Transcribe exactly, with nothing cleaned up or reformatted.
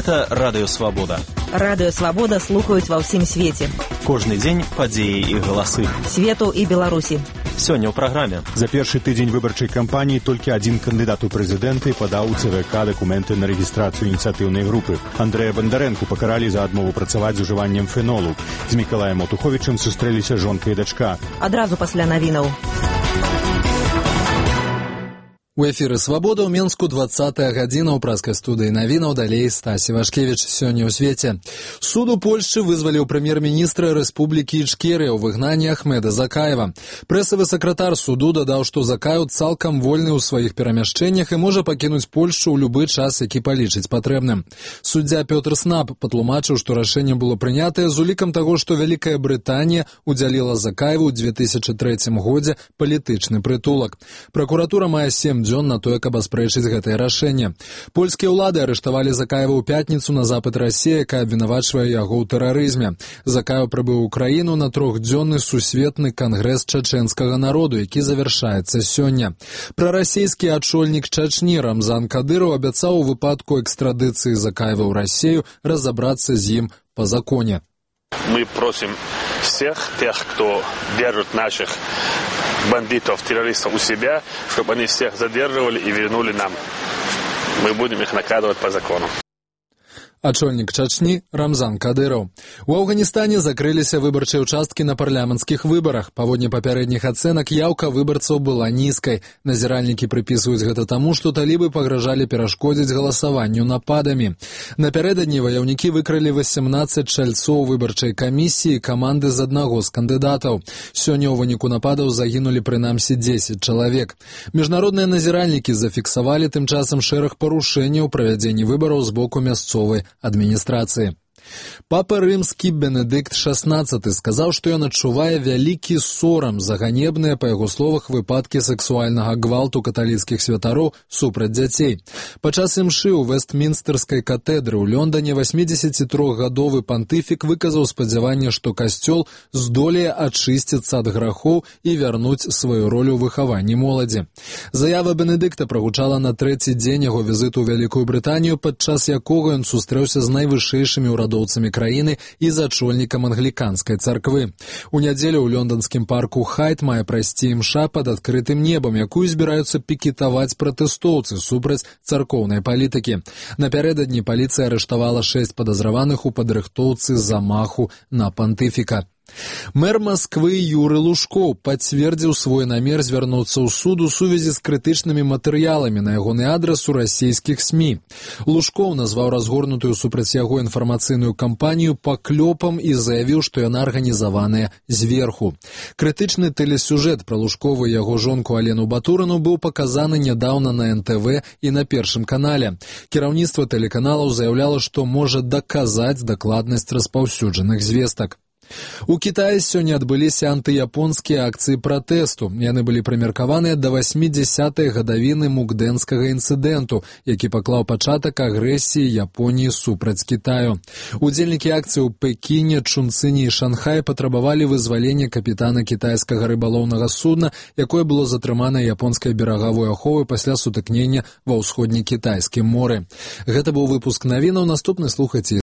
Гэта Радыё Свабода. Радыё Свабода слухаюць ва ўсім свеце. Кожны дзень падзеі і галасы. Свету і Беларусі. Сёння ў праграме. За першы тыдзень выбарчай кампаніі толькі адзін кандыдат у прэзідэнты падаў у ЦВК дакументы на рэгістрацыю ініцыятыўнай групы. Андрэя Бандарэнку пакаралі за адмову працаваць з ужываннем фенолу. З Мікалаем Отуховічым сустрэліся жонка і дачка. Адразу пасля навінаў. У эфіры «Свабода» ў Менску двадцатая гадзіна ў праскай студыі навінаў, далей Стасі Вашкевіч. Сёння ў свеце. Суд у Польшчы вызваліў прэм'ер-міністра Рэспублікі Ічкерыя ў выгнанні Ахмеда Закаева. Прэсавы сакратар суду дадаў, што Закаев цалкам вольны ў сваіх перамяшчэннях і можа пакінуць Польшчу ў любы час, які палічыць патрэбным. Суддзя Пётр Снап патлумачыў, што рашэнне было прынятае з улікам таго, што Вялікая Брытанія удзяліла Закаеву ў дзве тысячы трэцім годзе палітычны прытулак. Пракуратура мае сем дзён на тое, каб аспрэчыць гэтае рашэнне. Польскія ўлады арыштавалі Закаева ў пятніцу на запыт Расіі, якая абвінавачвае яго ў тэрарызме. Закаев прыбыў у краіну на трохдзённы сусветны кангрэс чачэнскага народу, які завяршаецца сёння. Прарасійскі ачольнік Чачні Рамзан Кадыров абяцаў у выпадку экстрадыцыі Закаева ў Расію разабрацца з ім па законе. Мы просим всех тех, кто держит наших бандитов, террористов у себя, чтобы они всех задерживали и вернули нам. Мы будем их наказывать по закону. Ачольнік Чачні Рамзан Кадыров. У Афганістане закрыліся выбарчыя ўчасткі на парламенцкіх выбарах. Паводле папярэдніх ацэнак, яўка выбарцаў была нізкай. Назіральнікі прыпісваюць гэта таму, што талібы пагражалі перашкодзіць галасаванню нападамі. Напярэдадні ваяўнікі выкралі васемнаццаць чальцоў выбарчай камісіі і каманды з аднаго з кандыдатаў. Сёння ў выніку нападаў загінулі прынамсі дзесяць чалавек. Міжнародныя назіральнікі зафіксавалі тым часам шэраг парушэнняў у правядзенні выбараў з боку мясцовай адміністрацыі. Папа рымскі Бенедыкт шаснаццаты сказаў, што ён адчувае вялікі сорам за ганебныя, па яго словах, выпадкі сексуальнага гвалту каталіцкіх святароў супраць дзяцей. Падчас імшы ў Вестмінстэрскай катэдры ў Лондане васьмідзесятітрохгадовы пантыфік выказаў спадзяванне, што касцёл здолее ачысціцца ад грахоў і вярнуць сваю ролю ў выхаванні моладзі. Заява Бенедыкта прагучала на трэці дзень яго візіту ў Вялікую Брытанію, падчас якога ён сустрэўся з найвышэйшымі ўрадоўцамі краіны і з ачольнікам англіканскай царквы. У нядзелю ў лонданскім парку Хайд мае прайсці імша пад адкрытым небам, якую збіраюцца пікетаваць пратэстоўцы супраць царкоўнай палітыкі. Напярэдадні паліцыя арыштавала шэсць падазраваных у падрыхтоўцы замаху на пантыфіка. Мэр Масквы Юры Лужкоў пацвердзіў свой намер звярнуцца ў суд у сувязі з крытычнымі матэрыяламі на ягоны адрас у расійскіх СМІ. Лужкоў назваў разгорнутую супраць яго інфармацыйную кампанію паклёпам і заявіў, што яна арганізаваная зверху. Крытычны тэлесюжэт пра Лужкова і яго жонку Алену Батурыну быў паказаны нядаўна на эн тэ вэ і на Першым канале. Кіраўніцтва тэлеканалаў заяўляла, што можа даказаць дакладнасць распаўсюджаных звестак. У Кітаі сёння адбыліся антыяпонскія акцыі пратэсту. Яны былі прымеркаваныя да васьмідзясятай гадавіны мукдэнскага інцыдэнту, які паклаў пачатак агрэсіі Японіі супраць Кітаю. Удзельнікі акцыі ў Пекіне, Чунцыні і Шанхаі патрабавалі вызвалення капітана кітайскага рыбалоўнага судна, якое было затрымана японскай берагавой аховай пасля сутыкнення ва ўсходнекітайскім моры. Гэта быў выпуск навінаў, наступны слухайце.